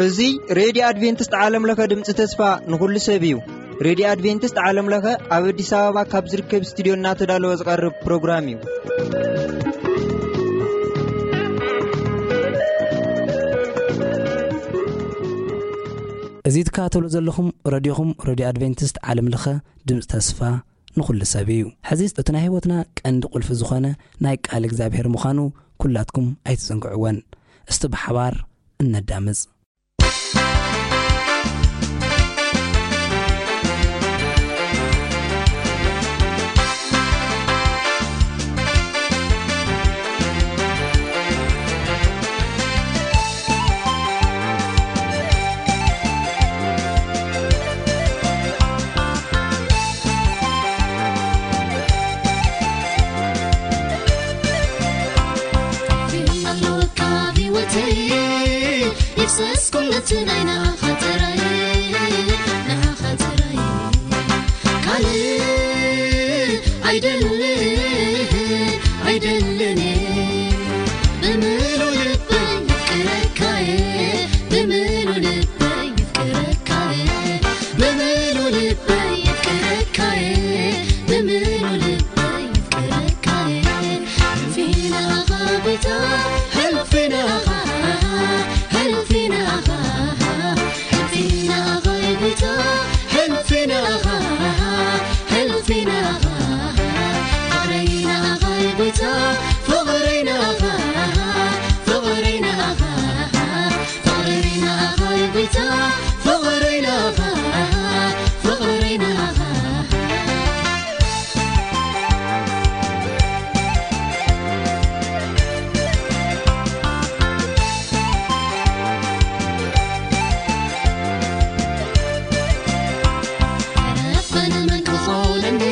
እዚ ሬድዮ ኣድቬንቲስት ዓለም ለኸ ድምፂ ተስፋ ንኹሉ ሰብ እዩ። ሬድዮ ኣድቬንቲስት ዓለም ለኸ ኣብ ኣዲስ ኣበባ ካብ ዝርከብ ስቱዲዮ እናተዳለወ ዝቐርብ ፕሮግራም እዩ። እዚ ትከታተሉ ዘለኹም ረድዮኹም ሬድዮ ኣድቬንቲስት ዓለም ለኸ ድምፂ ተስፋ ንኹሉ ሰብ እዩ። ሕዚ እቲ ናይ ህይወትና ቀንዲ ቁልፊ ዝኾነ ናይ ቃል እግዚኣብሔር ምዃኑ ኩላትኩም ኣይትዘንግዕወን። እስቲ ብሓባር እነዳምፅ። ይፍሰስ ኩሉ እቲ ናይ ንዓኻ ጥራይ፣ ንዓኻ ጥራይ። ካልእ ኣይደልን፣ ኣይደልን። ብምሉእ ልበይ የፍቅረካየ፣ ብምሉእ ልበይ የፍቅረካየ፣ ብምሉእ ልበይ የፍቅረካየ፣ ብምሉእ ልበይ የፍቅረካየ። ሕልፊ ንዓኻ ጎይታ፣ ሕልፊ ንዓኻ፣ ሕልፊ ንዓኻ፣ ሕልፊ ንዓኻ ጎይታ፣ ሕልፊ ንዓኻ፣ ሕልፊ ንዓኻ። ፍቕረይ ንዓኻ ጎይታ፣ ፍቕረይ ንዓኻ፣ ፍቕረይ ንዓኻ። ፍቕረይ ንዓኻ ጎይታ፣ ፍቕረይ ንዓኻ፣ ፍቕረይ ንዓኻ። ረበን መን ክኾነኒ፣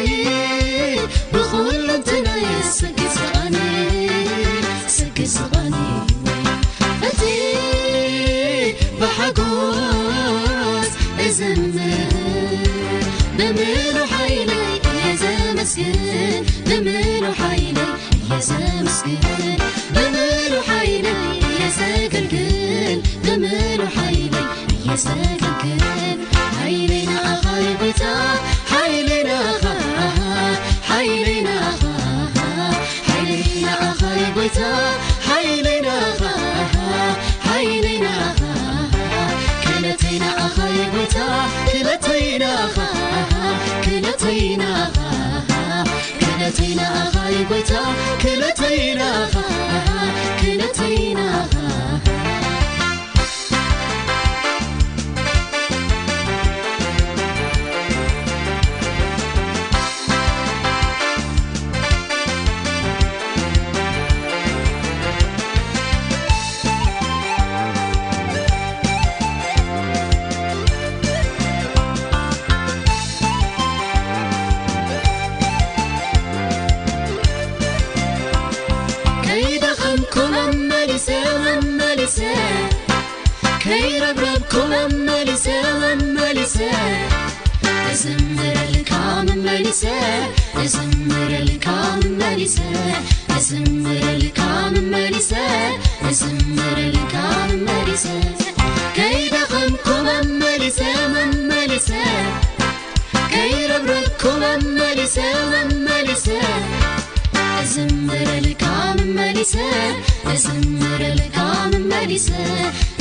ብኹለንተናይ ስግስጋኒ፣ ስግስጋኒ። እቲ ብሓጎስ እዝምር፣ ብምሉእ ሓይለይ እየ ዘመስግን፣ ብምሉእ ሓይለይ እየ ዘመስግን፣ ብምሉእ ሓይለይ እየ ዘገልግል፣ ብምሉእ ሓይለይ እየ ዘገልግል። ሓይለይ ንዓኻ እዩ ጎይታ፣ ሓይለይ ንዓኻ፣ ሓይለይ ንዓኻ፣ ሓይለይ ንዓኻ እዩ ጎይታ፣ ሓይለይ ንዓኻ፣ ሓይለይ ንዓኻ። ክእለተይ ንዓኻ እዩ ጎይታ፣ ክእለተይ ንዓኻ፣ ክእለተይ ንዓኻ። ክእለተይ ንዓኻ እዩ ጎይታ፣ ክእለተይ ንዓኻ፣ ክእለተይ ንዓኻ። ከይደኸምኩ መመሊሰ፣ መመሊሰ፣ ከይረብረብኩ መመሊሰ፣ መመሊሰ፣ እዝምረልካ መመሊሰ፣ እዝምረልካ መመሊሰ፣ እዝምረልካ መመሊሰ፣ እዝምረልካ መመሊሰ፣ ከይደኸምኩ መመሊሰ፣ መመሊሰ፣ ከይረብረብኩ መመሊሰ፣ መመሊሰ፣ እዝምረልካ መመሊሰ፣ እዝምረልካ መመሊሰ፣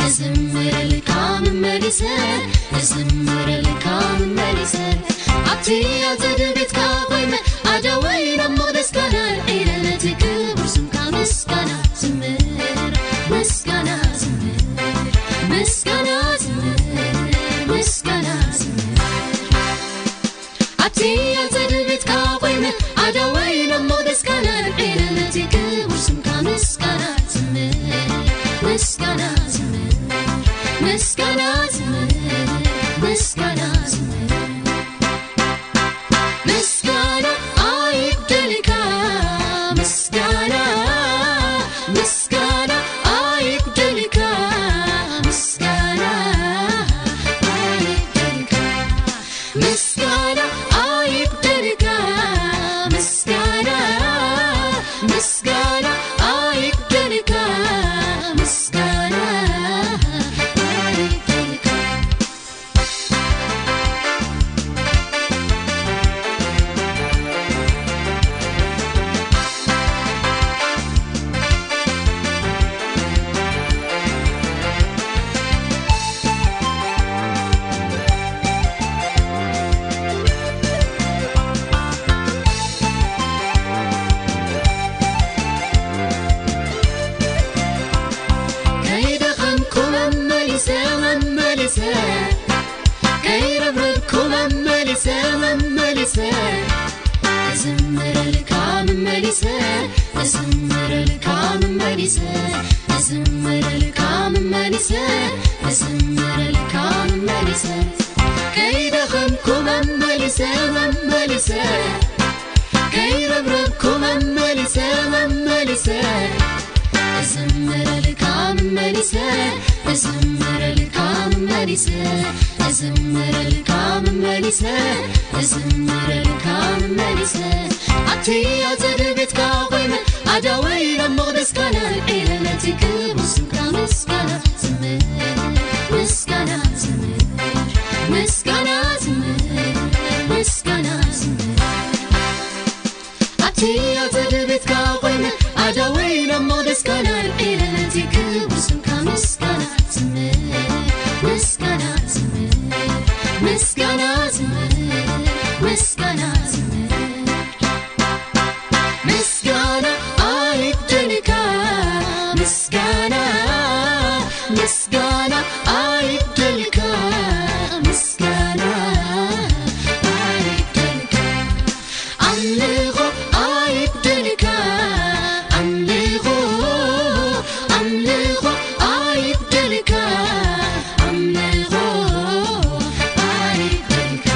እዝምረልካ መመሊሰ፣ እዝምረልካ መመሊሰ። ኣብቲ ኣጸደ ቤትካ ኮይነ ኣደወይ ናብ መቕደስካ ነልዒለ ነቲ ክቡር ስምካ ምስጋና ዝምር፣ ምስጋና ዝምር፣ ምስጋና ዝምር፣ ምስጋና ዝምር። ኣብቲ ኣጸደ ቤትካ ኮይነ ኣደወይ ናብ መቕደስካ ነልዒለ ነቲ ክቡር ስምካ ምስጋና ዝምር፣ ምስጋና ዝምር፣ ምስጋና ዝምር፣ ምስጋና ዝምር። ምስጋና ኣይጉደልካ፣ ምስጋና፣ ምስጋና ኣይጉደልካ፣ ምስጋና ኣይጉደልካ፣ ምስጋና ኣይጉደልካ፣ ምስ እዝምረልካ መመሊሰ፣ እዝምረልካ መመሊሰ፣ እዝምረልካ መመሊሰ፣ እዝምረልካ መመሊሰ። ከይደኸምኩ መመሊሰ፣ መመሊሰ፣ ከይረብረብኩ መመሊሰ፣ መመሊሰ፣ እዝምረልካ መመሊሰ፣ እዝምረልካ መመሊሰ፣ እዝምረልካ መመሊሰ፣ እዝምረልካ መመሊሰ። ኣብቲ ኣጸደ ቤትካ ኮይነ ኣዳወይ ናብ መቕደስካ ነልዒለ ነቲ ክቡር ስምካ ምስጋና ዝምህር፣ ምስጋና ዝምህር፣ ምስጋና ዝምህር፣ ምስጋና ዝምህር። ኣብቲ ኣጸደ ቤትካ ኮይነ ኣዳወይ ናብ መቕደስካ ነልዒለ ነቲ ክቡር ስምካ ምስጋና ዝምህር፣ ምስጋና ዝምህር፣ ምስጋና ዝምህር፣ ምስጋና ዝምህር። ምስጋና ኣይጉደልካ፣ ምስጋና፣ ምስጋና ኣይጉደልካ፣ ምስጋና ኣይጉደልካ። ኣምልኾ ኣይጉደልካ፣ ኣምልኾ፣ ኣምልኾ ኣይጉደልካ፣ ኣምልኾ ኣይጉደልካ።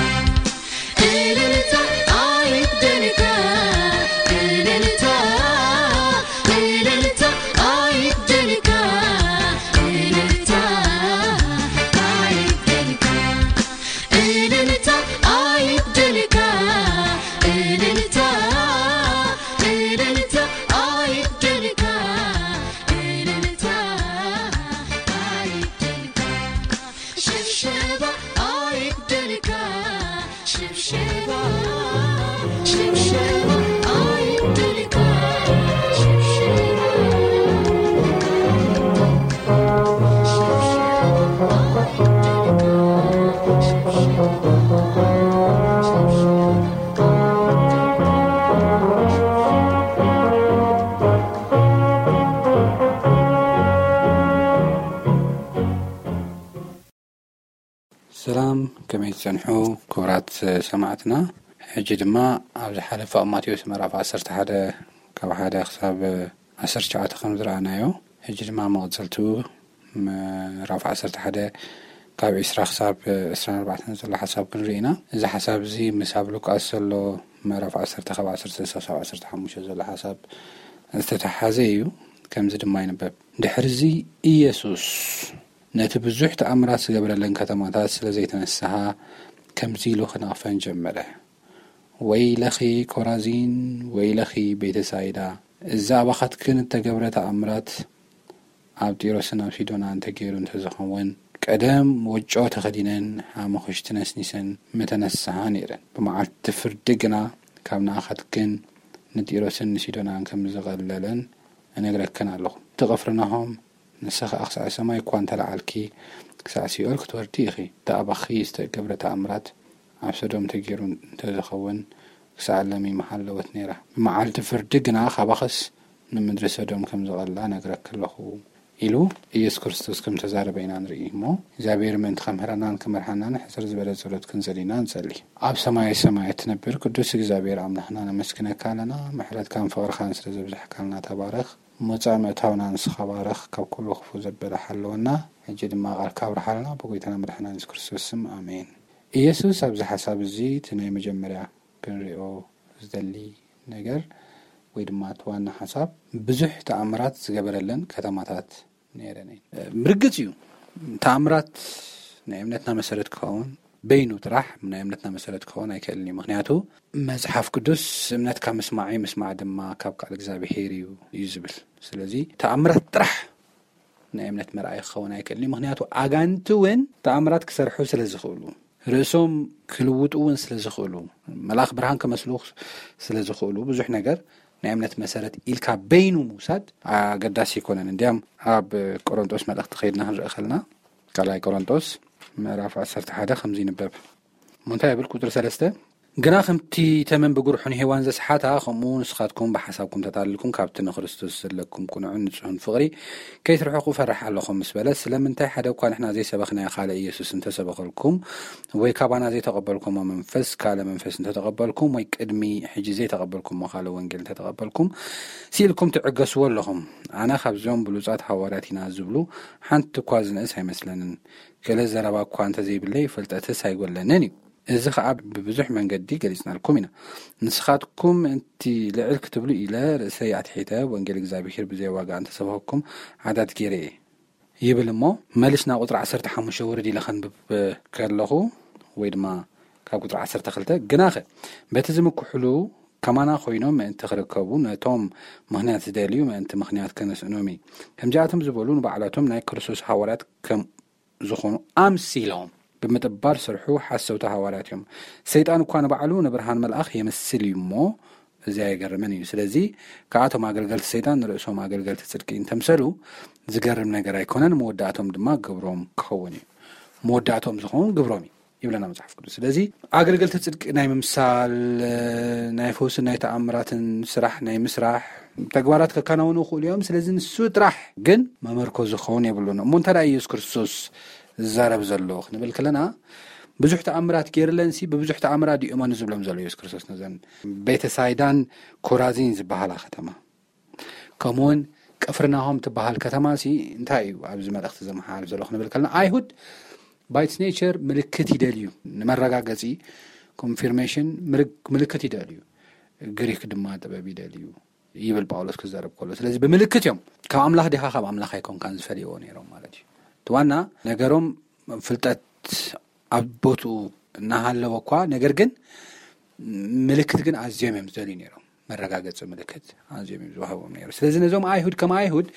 እልልታ ኣይጉደልካ፣ እልልታ፣ እልልታ ኣይጉደልካ፣ እልልታ ኣይጉደልካ። እልልታ ኣይጉደልካ፣ እልልታ፣ እልልታ ኣይጉደልካ፣ እልልታ ኣይጉደልካ። ሽብሸባ ኣይጉደልካ፣ ሽብሸባ፣ ሽብሸባ ኣይጉደልካ፣ ሽብሸባ። ሰላም፣ ከመይ ትጸንሑ ክቡራት ሰማዕትና? ሕጂ ድማ ኣብ ዝሓለፈ ኣብ ማቴዎስ ምዕራፍ ዓሰርተ ሓደ ካብ ሓደ ክሳብ ዓሰርተ ትሽዓተ ከም ዝረኣናዮ፣ ሕጂ ድማ መቐጸልቱ ምዕራፍ ዓሰርተ ሓደ ካብ ዕስራ ክሳብ ዕስራን ኣርባዕተን ዘሎ ሓሳብ ክንርኢ ኢና። እዚ ሓሳብ እዚ ምስ ኣብ ሉቃስ ዘሎ ምዕራፍ ዓሰርተ ካብ ዓሰርተ ክሳብ ዓሰርተ ሓሙሽተ ዘሎ ሓሳብ ዝተተሓሓዘ እዩ። ከምዚ ድማ ይንበብ። ድሕርዚ ኢየሱስ ነቲ ብዙሕ ተኣምራት ዝገበረለን ከተማታት ስለ ዘይተነስሃ፣ ከምዚ ኢሉ ክነቕፈን ጀመረ። ወይለኺ ኮራዚን፣ ወይለኺ ቤተሳይዳ፣ እዚ ኣባኻትክን እተገብረ ተኣምራት ኣብ ጢሮስን ኣብ ሲዶና እንተገይሩ እንተዝኸውን፣ ቀደም ወጮ ተኸዲነን ሓሙኽሽቲ ነስኒሰን ምተነስሃ ነይረን። ብመዓልቲ ፍርዲ ግና ካብ ንኣኻትክን ንጢሮስን ንሲዶናን ከም ዝቐለለን እነግረክን ኣለኹ። እቲ ቅፍርናሆም፣ ንስኺ ኸኣ ክሳዕ ሰማይ እኳ እንተለዓልኪ፣ ክሳዕ ሲኦል ክትወርዲ ኢኺ። እቲ ኣባኺ ዝተገብረ ተኣምራት ኣብ ሰዶም ተገይሩ እንተዝኸውን፣ ክሳዕ ሎሚ ምሃለወት ነይራ። ብመዓልቲ ፍርዲ ግና ካባኽስ ንምድሪ ሰዶም ከም ዝቐልላ እነግረኪ ኣለኹ፣ ኢሉ ኢየሱስ ክርስቶስ ከም ተዛረበ ኢና ንርኢ። እሞ እግዚኣብሔር ምእንቲ ከምህረናን ክመርሓናን ሕጽር ዝበለ ጸሎት ክንጽል ኢና ንጸሊ። ኣብ ሰማየ ሰማያት እትነብር ቅዱስ እግዚኣብሔር ኣምላኽና፣ ነመስግነካ ኣለና። ምሕረትካን ፍቕርኻን ስለ ዘብዛሕካልና ተባረኽ። መውጻእ መእታውና ንስኻ ባርኽ፣ ካብ ኩሉ ክፉእ ዘበለ ሓልወና። ሕጂ ድማ ቃልካ ኣብርሃልና፣ ብጎይታና መድሓና የሱስ ክርስቶስ ስም፣ ኣሜን። ኢየሱስ ኣብዚ ሓሳብ እዚ እቲ ናይ መጀመርያ ክንሪኦ ዝደሊ ነገር ወይ ድማ እቲ ዋና ሓሳብ፣ ብዙሕ ተኣምራት ዝገበረለን ከተማታት ነይረን እየን። ብርግጽ እዩ፣ ተኣምራት ናይ እምነትና መሰረት ክኸውን በይኑ ጥራሕ ናይ እምነትና መሰረት ክኸውን ኣይክእልን እዩ። ምኽንያቱ መጽሓፍ ቅዱስ፣ "እምነት ካብ ምስማዕ እዩ፣ ምስማዕ ድማ ካብ ቃል እግዚኣብሄር እዩ" እዩ ዝብል። ስለዚ ተኣምራት ጥራሕ ናይ እምነት መርኣይ ክኸውን ኣይክእልን እዩ። ምኽንያቱ ኣጋንንቲ እውን ተኣምራት ክሰርሑ ስለ ዝኽእሉ፣ ርእሶም ክልውጡ እውን ስለ ዝኽእሉ፣ መልኣኽ ብርሃን ክመስሉ ስለ ዝኽእሉ፣ ብዙሕ ነገር ናይ እምነት መሰረት ኢልካ በይኑ ምውሳድ ኣገዳሲ ኣይኮነን። እንዲያም ኣብ ቆሮንጦስ መልእኽቲ ከይድና ክንርኢ ከለና፣ ካልኣይ ቆሮንጦስ ምዕራፍ ዓሰርተ ሓደ ከምዚ ይንበብ። እሞ እንታይ ይብል? ቁጽሪ ሰለስተ፣ ግና ከምቲ ተመን ብጉርሑ ንሄዋን ዘስሓታ፣ ከምኡ ንስኻትኩም ብሓሳብኩም ተታልልኩም፣ ካብቲ ንክርስቶስ ዘለኩም ቅኑዕን ንጹህን ፍቕሪ ከይትርሕቁ እፈርሕ ኣለኹ ምስ በለ፣ ስለምንታይ ሓደ እኳ ንሕና ዘይሰበኽናዮ ካልእ ኢየሱስ እንተሰበኸልኩም፣ ወይ ካባና ዘይተቐበልኩሞ መንፈስ ካልእ መንፈስ እንተተቐበልኩም፣ ወይ ቅድሚ ሕጂ ዘይተቐበልኩሞ ካልእ ወንጌል እንተተቐበልኩም፣ ስኢልኩም ትዕገስዎ ኣለኹም። ኣነ ካብዞም ብሉጻት ሃዋርያት ኢና ዝብሉ ሓንቲ እኳ ዝንእስ ኣይመስለንን። ገለ ዘረባ እኳ እንተዘይብለይ፣ ፍልጠትስ ኣይጎለንን እዩ። እዚ ኸኣ ብብዙሕ መንገዲ ገሊጽናልኩም ኢና። ንስኻትኩም እቲ ልዕል ክትብሉ ኢለ ርእሰይ ኣትሒተ ወንጌል እግዚኣብሔር ብዘይ ዋጋ እንተሰበኸኩም ዓዳት ገይረ እየ ይብል እሞ፣ መሊስና ቁጽሪ ዓሰርተ ሓሙሽተ ውርድ ኢለ ከንብብ ከለኹ፣ ወይ ድማ ካብ ቁጽሪ ዓሰርተ ክልተ፣ ግናኸ በቲ ዝምክሕሉ ከማና ኮይኖም ምእንቲ ክርከቡ ነቶም ምኽንያት ዝደልዩ ምእንቲ ምኽንያት ከነስእኖም እዩ። ከምዚኣቶም ዝበሉ ንባዕላቶም ናይ ክርስቶስ ሃዋርያት ከም ዝኾኑ ኣምሲሎም ብምጥባር ስርሑ ሓሰውቲ ሃዋርያት እዮም። ሰይጣን እኳ ንባዕሉ ንብርሃን መልኣኽ የምስል እዩ እሞ፣ እዚ ኣይገርምን እዩ። ስለዚ ከኣቶም ኣገልገልቲ ሰይጣን ንርእሶም ኣገልገልቲ ጽድቂ እንተምሰሉ ዝገርም ነገር ኣይኮነን፣ መወዳእቶም ድማ ግብሮም ክኸውን እዩ። መወዳእቶም ዝኸውን ግብሮም እዩ ይብለና መጽሓፍ ቅዱስ። ስለዚ ኣገልገልቲ ጽድቂ ናይ ምምሳል፣ ናይ ፈውስን ናይ ተኣምራትን ስራሕ ናይ ምስራሕ ተግባራት ከከናውኑ ይኽእሉ እዮም። ስለዚ ንሱ ጥራሕ ግን መመርኮዚ ክኸውን የብሉን። እሞ እንተ ደኣ ኢየሱስ ክርስቶስ ዝዛረብ ዘሎ ክንብል ከለና፣ ብዙሕ ተኣምራት ገይርለንሲ ብብዙሕ ተኣምራት ድዩ እመኑ ዝብሎም ዘሎ ኢየሱስ ክርስቶስ ነዘን ቤተሳይዳን ኮራዚን ዝበሃላ ከተማ? ከምኡውን ቅፍርናሆም ትበሃል ከተማ ሲ እንታይ እዩ ኣብዚ መልእኽቲ ዘመሓላልፍ ዘሎ ክንብል ከለና፣ ኣይሁድ by its nature ምልክት ይደልዩ፣ ንመረጋገጺ ኮንፊርሜሽን ምልክ-፣ ምልክት ይደልዩ፣ ግሪክ ድማ ጥበብ ይደልዩ ይብል ጳውሎስ ክዛረብ ከሎ። ስለዚ ብምልክት እዮም፣ ካብ ኣምላኽ ዲኻ ካብ ኣምላኽ ኣይኮንካን ዝፈልይዎ ነይሮም ማለት እዩ። እቲ ዋና ነገሮም ፍልጠት ኣብ ቦትኡ እናሃለወ እኳ፣ ነገር ግን ምልክት ግን ኣዝዮም እዮም ዝደልዩ ነይሮም። መረጋገጺ ምልክት ኣዝዮም እዮም ዝወሃቦም ነይሩ። ስለዚ ነዞም ኣይሁድ ከም ኣይሁድ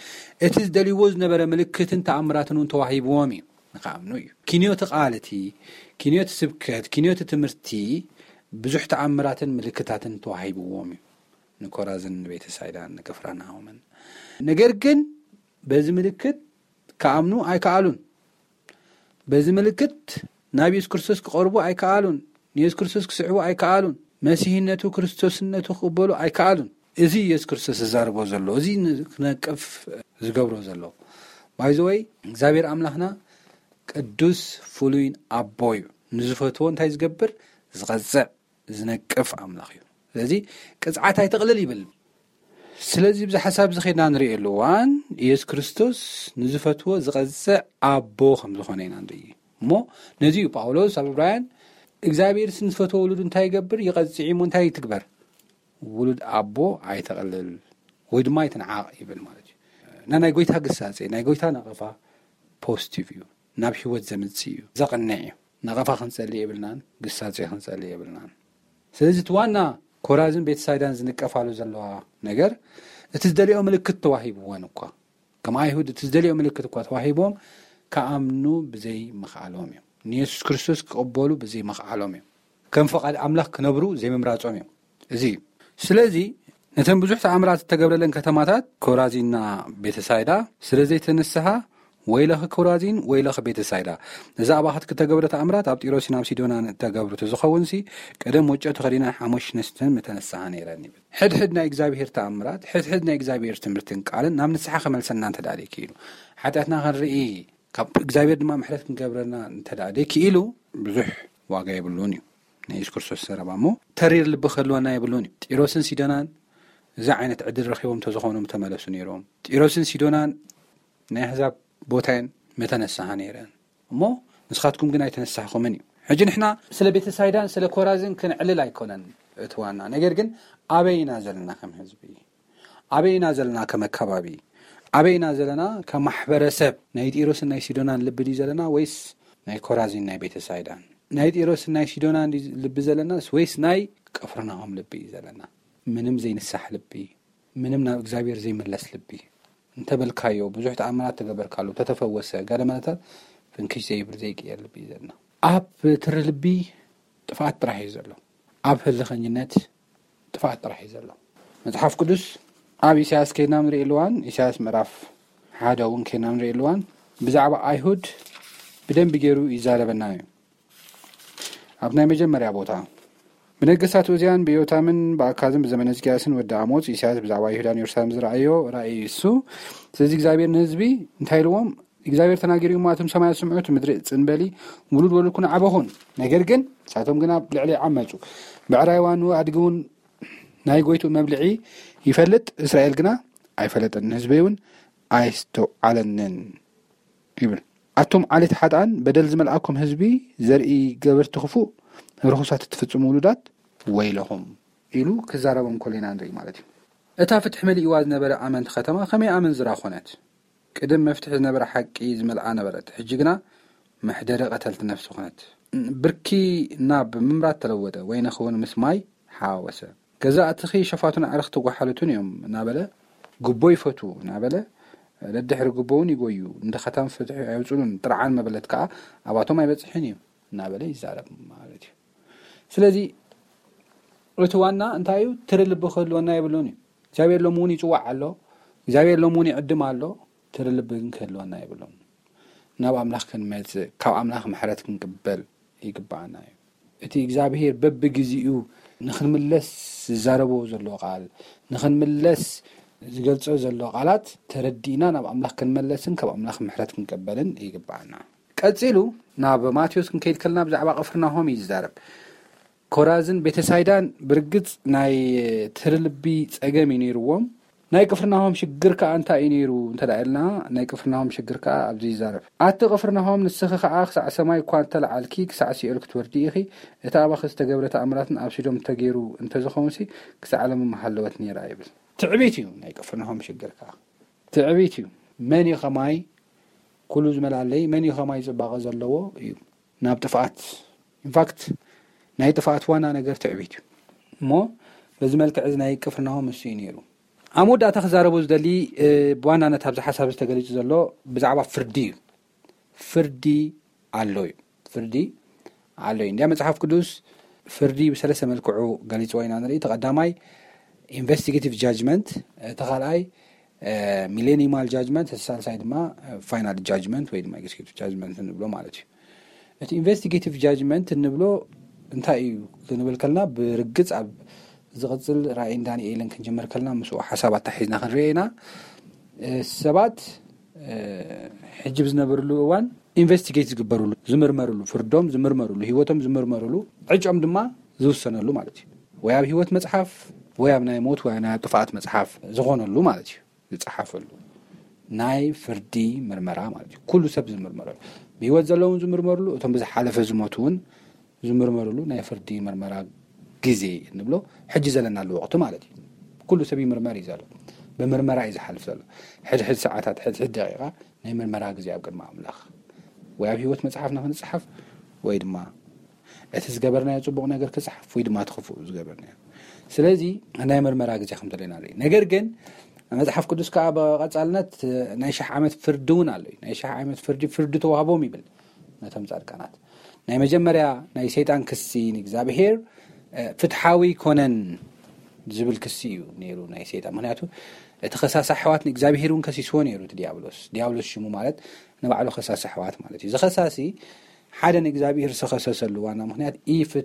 እቲ ዝደልይዎ ዝነበረ ምልክትን ተኣምራትን እውን ተዋሂብዎም እዩ፣ ንክኣምኑ እዩ። ኪንዮቲ ቃል እቲ፣ ኪንዮቲ ስብከት፣ ኪንዮቲ ትምህርቲ ብዙሕ ተኣምራትን ምልክታትን ተዋሂብዎም እዩ፣ ንኮራዝን፣ ንቤተሳይዳን፣ ንቅፍራናሆምን። ነገር ግን በዚ ምልክት ክኣምኑ ኣይከኣሉን። በዚ ምልክት ናብ የሱስ ክርስቶስ ክቐርቡ ኣይከኣሉን። ንየሱስ ክርስቶስ ክስዕቡ ኣይከኣሉን። መሲህነቱ፣ ክርስቶስነቱ ክቕበሉ ኣይከኣሉን። እዚ የሱስ ክርስቶስ ዝዛረቦ ዘሎ፣ እዚ ን-፣ ክነቅፍ ዝገብሮ ዘሎ። ባይዘወይ እግዚኣብሔር ኣምላኽና ቅዱስ ፍሉይን ኣቦ እዩ። ንዝፈትዎ እንታይ ዝገብር? ዝቐጽዕ፣ ዝነቅፍ ኣምላኽ እዩ። ስለዚ ቅጽዓት ኣይተቕልል ይብል። ስለዚ ብዚ ሓሳብ እዚ ኸድና ንርእየሉ እዋን፣ ኢየሱስ ክርስቶስ ንዝፈትዎ ዝቐጽዕ ኣቦ ከም ዝኾነ ኢና ንርኢ። እሞ ነዚ እዩ ጳውሎስ ኣብ ዕብራውያን፣ እግዚኣብሔርስ ንዝፈትዎ ውሉድ እንታይ ይገብር? ይቐጽዕ እዩ። እሞ እንታይ ይትግበር? ውሉድ ኣቦ ኣይተቕልል ወይ ድማ ኣይትንዓቕ ይብል ማለት እዩ። እና ናይ ጎይታ ግሳጼ፣ ናይ ጎይታ ነቐፋ ፖዚቲቭ እዩ፣ ናብ ህይወት ዘምጽእ እዩ፣ ዘቕንዕ እዩ። ነቐፋ ክንጸሊ የብልናን፣ ግሳጼ ክንጸሊ የብልናን። ስለዚ እቲ ዋና ኮራዝን ቤተሳይዳን ዝንቀፋሉ ዘለዋ ነገር፣ እቲ ዝደልዮ ምልክት ተዋሂብወን እኳ፣ ከም ኣይሁድ እቲ ዝደልዮ ምልክት እኳ ተዋሂቦም፣ ክኣምኑ ብዘይ ምኽኣሎም እዮም። ንየሱስ ክርስቶስ ክቕበሉ ብዘይ ምኽኣሎም እዮም። ከም ፈቓድ ኣምላኽ ክነብሩ ዘይምምራጾም እዮም። እዚ እዩ። ስለዚ ነተን ብዙሕ ተኣምራት እተገብረለን ከተማታት ኮራዚንና ቤተሳይዳ ስለ ዘይተነስሃ፣ ወይለኺ ኮራዚን፣ ወይለኺ ቤተሳይዳ፣ እዛ ኣባኽትኪ እተገብረ ተኣምራት ኣብ ጢሮስን ኣብ ሲዶናን እተገብሩ ተዝኸውንሲ፣ ቀደም ወጮ ተኸዲነን ሓሙሽ ነስተን ምተነስሃ ነይረን ይብል። ሕድሕድ ናይ እግዚኣብሔር ተኣምራት፣ ሕድሕድ ናይ እግዚኣብሔር ትምህርትን ቃልን ናብ ንስሓ ክመልሰና እንተ ደኣ ደይክኢሉ፣ ሓጢኣትና ክንርኢ፣ ካብ እግዚኣብሔር ድማ ምሕረት ክንገብረና እንተ ደኣ ደይክኢሉ፣ ብዙሕ ዋጋ የብሉን እዩ ናይ የሱስ ክርስቶስ ዘረባ። እሞ ተሪር ልቢ ክህልወና የብሉን እዩ። ጢሮስን ሲዶናን እዚ ዓይነት ዕድል ረኺቦም እንተዝኾኑ ምተመለሱ ነይሮም። ጢሮስን ሲዶናን ናይ ኣህዛብ ቦታ እየን፣ ምተነስሃ ነይረን። እሞ ንስኻትኩም ግን ኣይተነሳህኹምን እዩ። ሕጂ ንሕና ስለ ቤተሳይዳን ስለ ኮራዝን ክንዕልል ኣይኮነን እቲ ዋና። ነገር ግን ኣበይ ኢና ዘለና ከም ህዝቢ? ኣበይ ኢና ዘለና ከም ኣከባቢ? ኣበይ ኢና ዘለና ከም ማሕበረሰብ? ናይ ጢሮስን ናይ ሲዶናን ልቢ ድዩ ዘለና ወይስ ናይ ኮራዚን ናይ ቤተሳይዳን? ናይ ጢሮስን ናይ ሲዶናን ድዩ ልቢ ዘለናስ ወይስ ናይ ቅፍርናሆም ልቢ እዩ ዘለና? ምንም ዘይንሳሕ ልቢ፣ ምንም ናብ እግዚኣብሔር ዘይምለስ ልቢ። እንተበልካዮ፣ ብዙሕ ተኣምራት ተገበርካሉ፣ ተተፈወሰ፣ ገለ መለታት ፍንክሽ ዘይብል ዘይቅየር ልቢ እዩ ዘለና። ኣብ ትሪ ልቢ ጥፍኣት ጥራሕ እዩ ዘሎ። ኣብ ህልኸኝነት ጥፍኣት ጥራሕ እዩ ዘሎ። መጽሓፍ ቅዱስ ኣብ ኢሳያስ ከይድና ንርእየሉ እዋን፣ ኢሳያስ ምዕራፍ ሓደ እውን ከይድና ንርእየሉ እዋን፣ ብዛዕባ ኣይሁድ ብደንቢ ገይሩ ይዛረበና እዩ። ኣብ ናይ መጀመርያ ቦታ ብነገስታት ኡዝያን ብዮታምን ብኣካዝን ብዘመነ ሕዝቅያስን ወዲ ኣሞጽ ኢሳያስ ብዛዕባ ይሁዳን የሩሳሌም ዝረኣዮ ራእይ እሱ። ስለዚ እግዚኣብሔር ንህዝቢ እንታይ ኢልዎም? እግዚኣብሔር ተናጊሩ እሞ ኣቶም ሰማያት ስምዑ፣ እቲ ምድሪ ጽን በሊ፣ ውሉድ ወሉድኩን ዓበኹን። ነገር ግን ንሳቶም ግና ኣብ ልዕሊ ዓመጹ። ብዕራይ ዋኑ ኣድጊ እውን ናይ ጎይቱ መብልዒ ይፈልጥ፣ እስራኤል ግና ኣይፈለጠን፣ ህዝበይ እውን ኣይስተውዓለንን ይብል። ኣቶም ዓሌት ሓጥኣን በደል ዝመልኣኩም ህዝቢ፣ ዘርኢ ገበርቲ ክፉእ፣ ርኹሳት እትፍጽሙ ውሉዳት ወይለኹም ኢሉ ክዛረቦም ከሎ ኢና ንርኢ ማለት እዩ። እታ ፍትሒ መሊእዋ ዝነበረ ኣመንቲ ከተማ ከመይ ኣመንዝራ ኮነት? ቅድም መፍትሒ ዝነበረ ሓቂ ዝመልኣ ነበረት፣ ሕጂ ግና መሕደሪ ቀተልቲ ነፍሲ ኮነት። ብርኪ ናብ ምምራት ተለወጠ፣ ወይኒ ክውን ምስ ማይ ሓወሰ። ገዛእትኺ ሸፋቱን ኣዕርኽቲ ጓሓሉትን እዮም እናበለ ጉቦ ይፈትዉ እናበለ ደድሕሪ ጉቦ እውን ይጎዩ፣ ንድኻታን ፍትሒ ኣየውፅሉን፣ ጥርዓን መበለት ከዓ ኣባቶም ኣይበፅሕን እዩ እናበለ ይዛረብ ማለት እዩ። ስለዚ እቲ ዋና እንታይ እዩ? ትሪ ልቢ ክህልወና የብሉን እዩ። እግዚኣብሔር ሎም እውን ይፅዋዕ ኣሎ፣ እግዚኣብሔር ሎም እውን ይዕድም ኣሎ። ትሪ ልቢ ግን ክህልወና የብሉን። ናብ ኣምላኽ ክንመጽእ፣ ካብ ኣምላኽ ምሕረት ክንቅበል ይግባኣና እዩ። እቲ እግዚኣብሔር በብግዜኡ ንኽንምለስ ዝዛረቦ ዘሎ ቃል፣ ንኽንምለስ ዝገልጾ ዘሎ ቃላት ተረዲእና ናብ ኣምላኽ ክንመለስን ካብ ኣምላኽ ምሕረት ክንቀበልን ይግባኣና። ቀጺሉ ናብ ማቴዎስ ክንከይድ ከለና ብዛዕባ ቅፍርናሆም እዩ ዝዛረብ። ኮራዝን ቤተሳይዳን ብርግጽ ናይ ትሪ ልቢ ጸገም እዩ ነይርዎም። ናይ ቅፍርናሆም ሽግር ከኣ እንታይ እዩ ነይሩ እንተ ደኣ ኢልና፣ ናይ ቅፍርናሆም ሽግር ከኣ ኣብዚ ይዛረብ። ኣቲ ቅፍርናሆም፣ ንስኺ ከኣ ክሳዕ ሰማይ እኳ እንተ ለዓልኪ፣ ክሳዕ ሲኦል ክትወርዲ ኢኺ። እቲ ኣባኺ ዝተገብረ ተኣምራትን ኣብ ሲዶም እንተገይሩ እንተ ዝኸውንሲ፣ ክሳዕ ሎሚ ምሃለወት ነይራ ይብል። ትዕቢት እዩ ናይ ቅፍርናሆም ሽግር ከኣ። ትዕቢት እዩ። መን እዩ ከማይ ኩሉ ዝመላለይ፣ መን እዩ ከማይ ጽባቐ ዘለዎ እዩ። ናብ ጥፍኣት፣ ኢንፋክት ናይ ጥፍኣት ዋና ነገር ትዕቢት እዩ። እሞ በዚ መልክዕ እዚ ናይ ቅፍርናሆም እሱ እዩ ነይሩ። ኣብ መወዳእታ ክዛረቦ ዝደሊ፣ እ፣ ብዋናነት ኣብዚ ሓሳብ እዚ ተገሊጹ ዘሎ ብዛዕባ ፍርዲ እዩ። ፍርዲ ኣሎ እዩ። ፍርዲ ኣሎ እዩ። እንዲያ መጽሓፍ ቅዱስ ፍርዲ ብሰለስተ መልክዑ ገሊጽዎ ኢና ንርኢ። እቲ ቀዳማይ ኢንቨስቲጌቲቭ ጃጅመንት፣ እቲ ካልኣይ ሚሌኒማል ጃጅመንት፣ እቲ ሳልሳይ ድማ ፋይናል ጃጅመንት ወይ ድማ ኤግዜኪቲቭ ጃጅመንት እንብሎ ማለት እዩ። እቲ ኢንቨስቲጌቲቭ ጃጅመንት እንብሎ እንታይ እዩ ክንብል ከለና፣ ብርግጽ ኣብ ዝቕጽል ራእይን ዳንኤልን ክንጅምር ከለና ምስኡ ሓሳብ ኣታሒዝና ክንርኢ ኢና። እ፣ ሰባት፣ እ፣ ሕጂ ብዝነበርሉ እዋን ኢንቨስቲጌት ዝግበርሉ፣ ዝምርመርሉ፣ ፍርዶም ዝምርመርሉ፣ ህይወቶም ዝምርመርሉ፣ ዕጫኦም ድማ ዝውሰነሉ ማለት እዩ። ወይ ኣብ ህይወት መጽሓፍ፣ ወይ ኣብ ናይ ሞት፣ ወይ ናይ ጥፍኣት መጽሓፍ ዝኾነሉ ማለት እዩ። ዝጸሓፈሉ ናይ ፍርዲ ምርመራ ማለት እዩ። ኩሉ ሰብ ዝምርመረሉ፣ ብህይወት ዘለውን ዝምርመርሉ፣ እቶም ብዝሓለፈ ዝሞቱ እውን ዝምርመርሉ ናይ ፍርዲ ምርመራ ግዜ እንብሎ ሕጂ ዘለናሉ ወቕቲ ማለት እዩ። ኩሉ ሰብ ይምርመር እዩ ዘሎ። ብምርመራ እዩ ዝሓልፍ ዘሎ። ሕድሕድ ሰዓታት፣ ሕድሕድ ደቂቓ ናይ ምርመራ ግዜ ኣብ ቅድሚ ኣምላኽ። ወይ ኣብ ህይወት መጽሓፍና ክንጽሓፍ፣ ወይ ድማ እቲ ዝገበርናዮ ጽቡቕ ነገር ክጽሓፍ፣ ወይ ድማ እቲ ክፉእ ዝገበርናዮ። ስለዚ ናይ ምርመራ ግዜ ከም ዘለና ንርኢ። ነገር ግን መጽሓፍ ቅዱስ ከኣ ብቐጻልነት ናይ ሽሕ ዓመት ፍርዲ እውን ኣሎ እዩ። ናይ ሽሕ ዓመት ፍርዲ፣ ፍርዲ ተዋህቦም ይብል ነቶም ጻድቃናት። ናይ መጀመርያ ናይ ሰይጣን ክሲ ንእግዚኣብሔር፣ እ፣ ፍትሓዊ ኣይኮነን ዝብል ክሲ እዩ ነይሩ ናይ ሰይጣን። ምኽንያቱ እቲ ከሳሲ ኣሕዋት ንእግዚኣብሔር እውን ከሲስዎ ነይሩ እቲ ዲያብሎስ። ዲያብሎስ ሽሙ ማለት ንባዕሉ ከሳሲ ኣሕዋት ማለት እዩ። እዚ ከሳሲ ሓደ ንእግዚኣብሔር ዝኸሰሰሉ ዋና ምኽንያት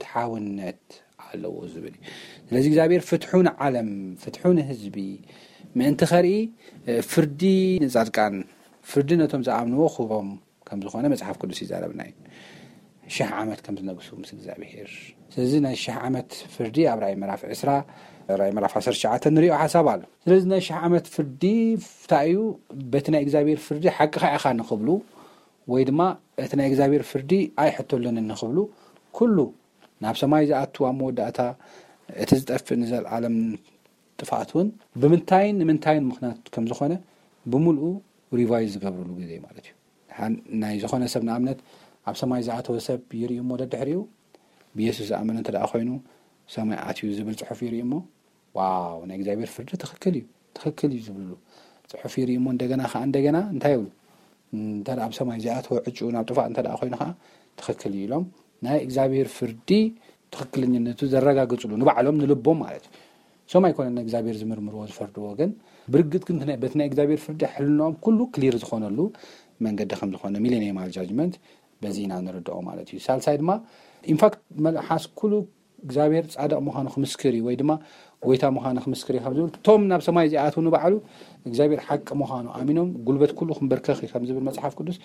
ኢፍትሓውነት ኣለዎ ዝብል እዩ። ስለዚ እግዚኣብሔር ፍትሑ ንዓለም፣ ፍትሑ ንህዝቢ ምእንቲ ከርኢ፣ እ፣ ፍርዲ ንጻድቃን፣ ፍርዲ ነቶም ዝኣምንዎ ክቦም ከም ዝኾነ መጽሓፍ ቅዱስ ይዛረብና እዩ። ሽሕ ዓመት ከም ዝነግሱ ምስ እግዚኣብሔር። ስለዚ ናይ ሽሕ ዓመት ፍርዲ ኣብ ራእይ ምዕራፍ ዕስራ፣ ራእይ ምዕራፍ ዓሰርተ ትሽዓተ ንሪኦ ሓሳብ ኣሎ። ስለዚ ናይ ሽሕ ዓመት ፍርዲ እንታይ እዩ? በቲ ናይ እግዚኣብሔር ፍርዲ ሓቅኻ ኢኻ ንኽብሉ፣ ወይ ድማ እቲ ናይ እግዚኣብሔር ፍርዲ ኣይሕተሉንን ንኽብሉ፣ ኩሉ ናብ ሰማይ ዝኣቱ ኣብ መወዳእታ እቲ ዝጠፍእ ንዘለኣለም ጥፍኣት እውን ብምንታይን ንምንታይን ምኽንያት ከም ዝኾነ ብምልኡ ሪቫይዝ ዝገብርሉ ግዜ ማለት እዩ። ሓን-፣ ናይ ዝኾነ ሰብ ንኣብነት ኣብ ሰማይ ዝኣተወ ሰብ ይርእዩ እሞ ደድሕሪኡ ብየሱስ ዝኣመነ እንተ ደኣ ኮይኑ ሰማይ ኣትዩ ዝብል ጽሑፍ ይርእዩ እሞ ዋው ናይ እግዚኣብሔር ፍርዲ ትኽክል እዩ፣ ትኽክል እዩ ዝብልሉ ጽሑፍ ይርእዩ እሞ እንደገና ከኣ እንደገና እንታይ ይብሉ? እንተ ደኣ ኣብ ሰማይ ዝኣተወ ዕጩ ናብ ጥፋእ እንተ ደኣ ኮይኑ ከኣ ትኽክል እዩ ኢሎም ናይ እግዚኣብሔር ፍርዲ ትኽክለኛነቱ ዘረጋግጽሉ ንባዕሎም ንልቦም ማለት እዩ። ሶም ኣይኮነን ንእግዚኣብሔር ዝምርምርዎ ዝፈርድዎ፣ ግን ብርግጽ ግን ናይ-፣ በቲ ናይ እግዚኣብሔር ፍርዲ ሕልናኦም ኩሉ ክሊር ዝኾነሉ መንገዲ ከም ዝኾነ ሚሌኒየማል ጃጅመንት በዚ ኢና ንርድኦ ማለት እዩ። ሳልሳይ ድማ ኢንፋክት መልሓስ ኩሉ እግዚኣብሔር ጻድቕ ምዃኑ ክምስክር እዩ፣ ወይ ድማ ጎይታ ምዃኑ ክምስክር እዩ ካብ ዝብል፣ እቶም ናብ ሰማይ እዚኣትዉ ንባዕሉ እግዚኣብሔር ሓቂ ምዃኑ ኣሚኖም፣ ጉልበት ኩሉ ክንበርከኽ እዩ ከም ዝብል መጽሓፍ ቅዱስ፣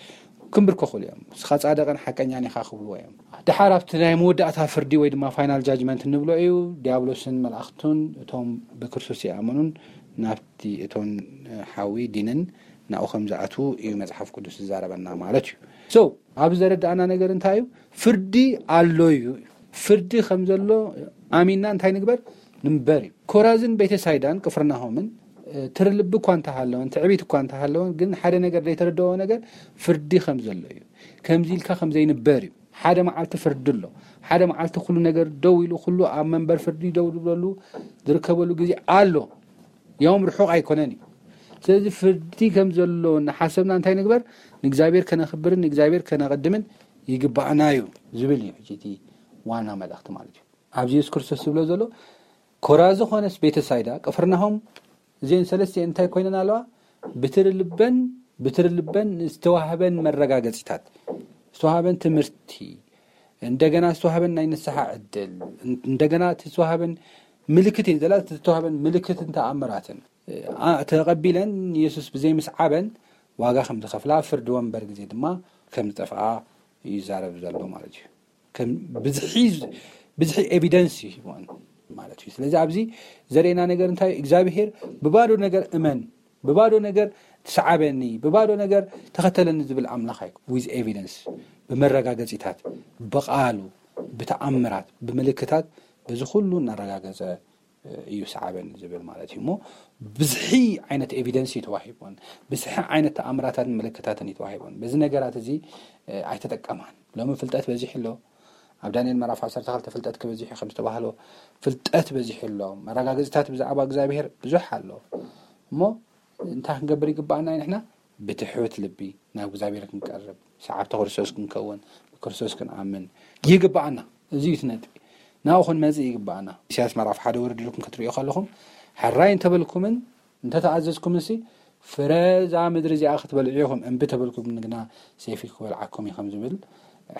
ክንብርከኹሉ እዮም። "ንስኻ ጻድቕን ሓቀኛን ኢኻ" ክብልዎ እዮም። ድሓር ኣብቲ ናይ መወዳእታ ፍርዲ ወይ ድማ ፋይናል ጃጅመንት እንብሎ እዩ። ዲያብሎስን መላእኽቱን እቶም ብክርስቶስ ይኣመኑን ናብቲ እቶን ሓዊ ዲንን ናብኡ ከም ዝኣትዉ እዩ መጽሓፍ ቅዱስ ዝዛረበና ማለት እዩ። So፣ ኣብ ዘረዳእና ነገር እንታይ እዩ? ፍርዲ ኣሎ እዩ። ፍርዲ ከም ዘሎ ኣሚንና እንታይ ንግበር? ንንበር እዩ። ኮራዝን ቤተሳይዳን ቅፍርናሆምን፣ እ፣ ትርልቢ እኳ እንተሃለወን፣ ትዕቢት እኳ እንተሃለወን፣ ግን ሓደ ነገር ዘይተረድኦ ነገር ፍርዲ ከም ዘሎ እዩ። ከምዚ ኢልካ ከም ዘይንበር እዩ። ሓደ መዓልቲ ፍርዲ ኣሎ። ሓደ መዓልቲ ኩሉ ነገር ደው ኢሉ፣ ኩሉ ኣብ መንበር ፍርዲ ደው ዝብለሉ፣ ዝርከበሉ ግዜ ኣሎ። ያውም ርሑቕ ኣይኮነን እዩ። ስለዚ ፍርዲ ከም ዘሎ እናሓሰብና እንታይ ንግበር? ንእግዚኣብሔር ከነኽብርን ንእግዚኣብሔር ከነቐድምን ይግባእና እዩ ዝብል እዩ ሕጂ እቲ ዋና መልእኽቲ ማለት እዩ። ኣብዚ የሱስ ክርስቶስ ዝብሎ ዘሎ፣ ኮራዚ ኾነስ ቤተሳይዳ፣ ቅፍርናሆም፣ እዚአን ሰለስቲአን እንታይ ኮይነን ኣለዋ? ብትሪ ልበን፣ ብትሪ ልበን ዝተዋህበን መረጋገጺታት፣ ዝተዋህበን ትምህርቲ፣ እንደገና ዝተዋህበን ናይ ንስሓ ዕድል፣ እንደገና እቲ ዝተዋህበን ምልክት እዩ ዘላ፣ እቲ ዝተዋህበን ምልክትን ተኣምራትን፣ ኣ፣ ተቐቢለን የሱስ ብዘይ ምስዓበን ዋጋ ከም ዝኸፍላ፣ ኣብ ፍርዲ ወንበር ግዜ ድማ ከም ዝጠፍኣ እዩ ይዛረብ ዘሎ ማለት እዩ። ከም ብዝሒ፣ ብዝሒ ኤቪደንስ እዩ ሂብወን ማለት እዩ። ስለዚ ኣብዚ ዘርእየና ነገር እንታይ እዩ? እግዚኣብሄር ብባዶ ነገር እመን፣ ብባዶ ነገር ትስዓበኒ፣ ብባዶ ነገር ተኸተለኒ ዝብል ኣምላኽ ኣይኮ-፣ ዊዝ ኤቪደንስ፣ ብመረጋገጺታት፣ ብቓሉ፣ ብተኣምራት፣ ብምልክታት፣ በዚ ኩሉ እናረጋገጸ እዩ ስዓበኒ ዝብል ማለት እዩ። እሞ ብዝሒ ዓይነት ኤቪደንስ እዩ ተዋሂቦን፣ ብዝሒ ዓይነት ተኣምራታትን ምልክታትን እዩ ተዋሂቦን። በዚ ነገራት እዚ፣ እ፣ ኣይተጠቀማን። ሎሚ ፍልጠት በዚሑ ኣሎ። ኣብ ዳንኤል ምዕራፍ ዓሰርተ ክልተ ፍልጠት ክበዚሑ ከም ዝተባህሎ ፍልጠት በዚሑ ኣሎ። መረጋገጽታት ብዛዕባ እግዚኣብሄር ብዙሕ ኣሎ። እሞ እንታይ ክንገብር ይግባኣና እዩ ንሕና? ብትሑት ልቢ ናብ እግዚኣብሔር ክንቀርብ፣ ሰዓብቲ ክርስቶስ ክንከውን፣ ብክርስቶስ ክንኣምን ይግባኣና። እዚ እዩ እቲ ነጥቢ። ናብኡ ክንመጽእ ይግባኣና። ኢሳያስ ምዕራፍ ሓደ ወረድ ኢልኩም ክትርእዩ ከለኹም፣ ሕራይ እንተበልኩምን እንተተኣዘዝኩምንሲ፣ ፍረ እዛ ምድሪ እዚኣ ክትበልዑ ኢኹም፣ እምቢ ተበልኩም ግና ሰይፊ ክበልዓኩም እዩ ከም ዝብል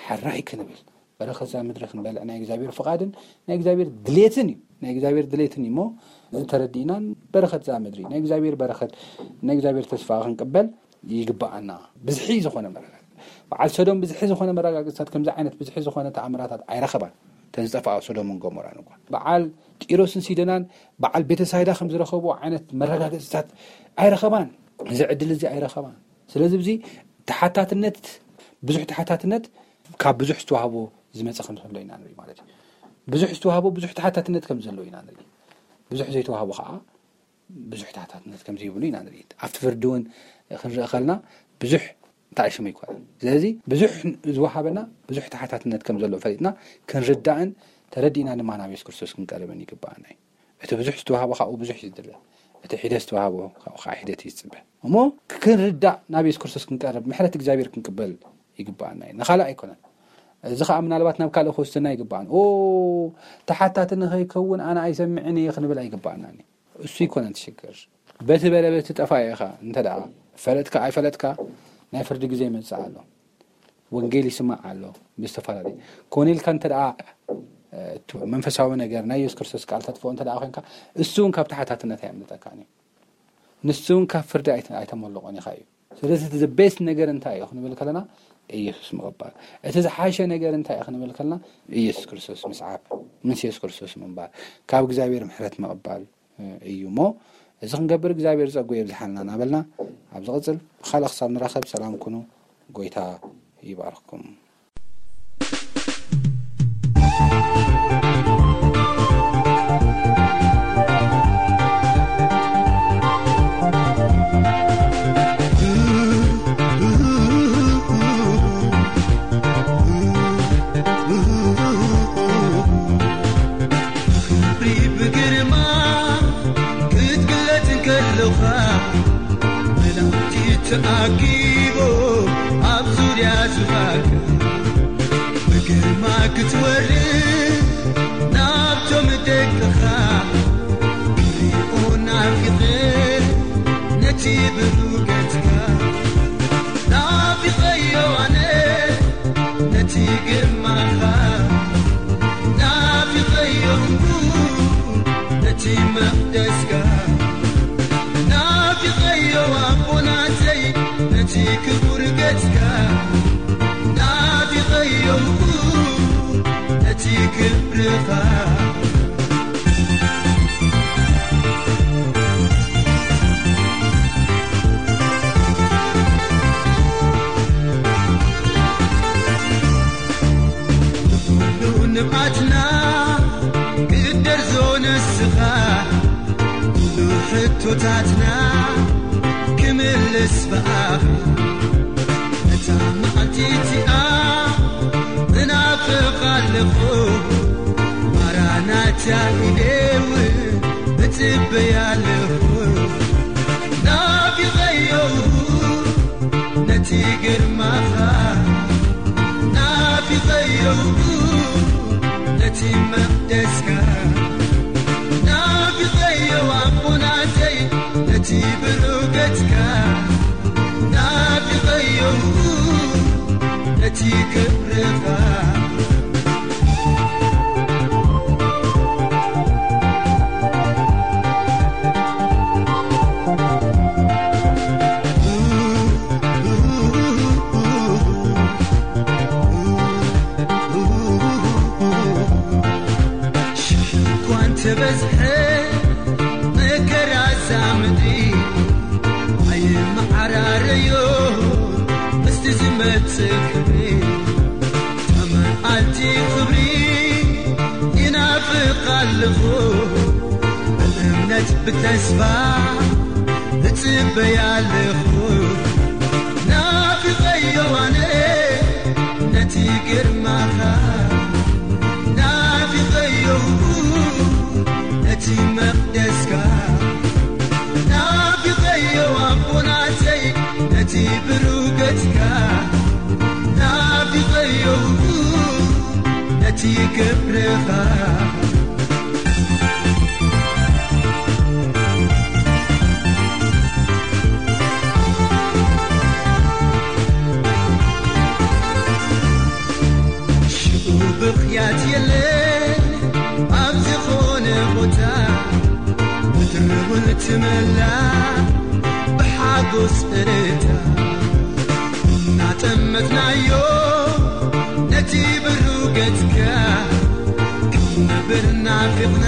ሕራይ ክንብል። በረኸት እዛ ምድሪ ክንበልዕ ናይ እግዚኣብሔር ፍቓድን ናይ እግዚኣብሔር ድሌትን እዩ። ናይ እግዚኣብሔር ድሌትን እዩ እሞ፣ እዚ ተረዲእናን በረኸት እዛ ምድሪ፣ ናይ እግዚኣብሔር በረኸት፣ ናይ እግዚኣብሔር ተስፋ ክንቅበል ይግባኣና። ብዝሒ ዝኾነ መረጋገጺ። በዓል ሰዶም ብዝሒ ዝኾነ መረጋገጽታት፣ ከምዚ ዓይነት ብዝሒ ዝኾነ ተኣምራታት ኣይረኸባን። እተን ዝጠፍኣ ሶዶምን ገሞራን እኳ። በዓል ጢሮስን ሲዶናን በዓል ቤተሳይዳ ከም ዝረኸብዎ ዓይነት መረጋገጽታት ኣይረኸባን። እዚ ዕድል እዚ ኣይረኸባን። ስለዚ እዚ ተሓታትነት፣ ብዙሕ ተሓታትነት ካብ ብዙሕ ዝተዋህቦ ዝመጸ ከም ዘሎ ኢና ንርኢ ማለት እዩ። ብዙሕ ዝተዋህቦ ብዙሕ ተሓታትነት ከም ዘሎ ኢና ንርኢ። ብዙሕ ዘይተዋህቦ ከዓ ብዙሕ ተሓታትነት ከም ዘይብሉ ኢና ንርኢ። ኣብቲ ፍርዲ እውን ክንርኢ ከለና ብዙሕ ተኣሽሙ ኣይኮነን። ስለዚ ብዙሕ ዝወሃበና ብዙሕ ተሓታትነት ከም ዘሎ ፈሊጥና ክንርዳእን ተረዲእና ድማ ናብ የሱስ ክርስቶስ ክንቀርብን ይግባኣና እዩ። እቲ ብዙሕ ዝተዋህቦ ካብኡ ብዙሕ እዩ ዝድለ። እቲ ሒደት ዝተዋህቦ ካብኡ ከዓ ሒደት እዩ ዝጽበ። እሞ ክንርዳእ ናብ የሱስ ክርስቶስ ክንቀርብ፣ ምሕረት እግዚኣብሔር ክንቅበል ይግባኣና እዩ። ንኻልእ ኣይኮነን። እዚ ከዓ ምናልባት ናብ ካልእ ክወስደና ይግባኣን። "ኦ፣ ተሓታቲ ንኸይከውን ኣነ ኣይሰምዕን እየ" ክንብል ኣይግባኣናን እዩ። እሱ ኣይኮነን እቲ ሽግር። በቲ በለ በቲ ጠፋ ኢኻ እንተ ደኣ ፈለጥካ ኣይፈለጥካ ናይ ፍርዲ ግዜ ይመጽእ ኣሎ። ወንጌል ይስማዕ ኣሎ ብዝተፈላለየ። ኮነ ኢልካ እንተ ደኣ፣ እ፣ እቲ መንፈሳዊ ነገር ናይ የሱስ ክርስቶስ ቃል ተጥፍኦ እንተ ደኣ ኮይንካ፣ እሱ እውን ካብ ተሓታትነት ኣየምልጠካን እዩ። ንሱ እውን ካብ ፍርዲ ኣይተ-፣ ኣይተመልቖን ኢኻ እዩ። ስለዚ እቲ the best ነገር እንታይ እዩ ክንብል ከለና፣ ኢየሱስ ምቕባል። እቲ ዝሓሸ ነገር እንታይ እዩ ክንብል ከለና፣ ኢየሱስ ክርስቶስ ምስዓብ፣ ምስ ኢየሱስ ክርስቶስ ምንባር፣ ካብ እግዚኣብሔር ምሕረት ምቕባል እዩ እሞ፣ እዚ ክንገብር እግዚኣብሔር ጸጉ የብዝሓልና እናበልና፣ ኣብ ዝቕጽል ብኻልእ ክሳብ ንራኸብ ሰላም ኩኑ። ጎይታ ይባርኽኩም። ክብሪ ብግርማ ክትግለጽ እንከለኻ፣ መላእኽቲ ተኣኪቦም ኣብ ዙርያ ዙፋንካ፣ ብግርማ ክትወርድ ናብቶም ደቅኻ፣ ክሪኦ ናፊቐ ነቲ ብሩህ ገጽካ፣ ናፊቐዮ ኣነ ነቲ ግርማኻ፣ ናፊቐዮ መቕደስካ ናፊቐዮ ኣቦናተይ፣ ነቲ ክቡር ገጽካ ናፊቐዮ፣ ነቲ ክብርኻ። ንኹሉ ንብዓትና ክደርዞ ንስኻ፣ ኩሉ ሕቶታትና ክምልስ ብኣኻ። ነታ መዓልቲ እቲኣ እናፍቓ ኣለኹ፣ ማራናታ ኢለ እውን እጽበያ ኣለኹ። ናፊቐዮ ነቲ ግርማኻ፣ ናፊቐዮ ነቲ መቕደስካ፣ ናፊቐዮ ኣቦናተይ ነቲ ብሩገትካ፣ ናፊቐዮ ነቲ ክብርኻ። ሽሕ እኳ እንተበዝሐ መከራ እዛ ምድሪ፣ ኣይመዓራረዮ ምስቲ ዝመጽእ ክብሪ። መዓልቲ ክብሪ ይናፍቕ ኣለኹ፣ ብእምነት ብተስፋ እጽበያ ኣለኹ። ናፊቐዮ ኣነ ነቲ ግርማኻ፣ ናፊቐዮ ነቲ መቕደስካ፣ ናፊቐዮ ኣቦናተይ ነቲ ብሩገትካ፣ ናፊቐዮ ነቲ ክብርኻ። ሽዑ ብኽያት የለ ኣብ ዝኾነ ቦታ፣ ምድሪ እውን ትመላ ብሓጎስ እልልታ። እናጠመትናዮ ነቲ ብሩህ ገጽካ፣ ክንነብር ናፊቕና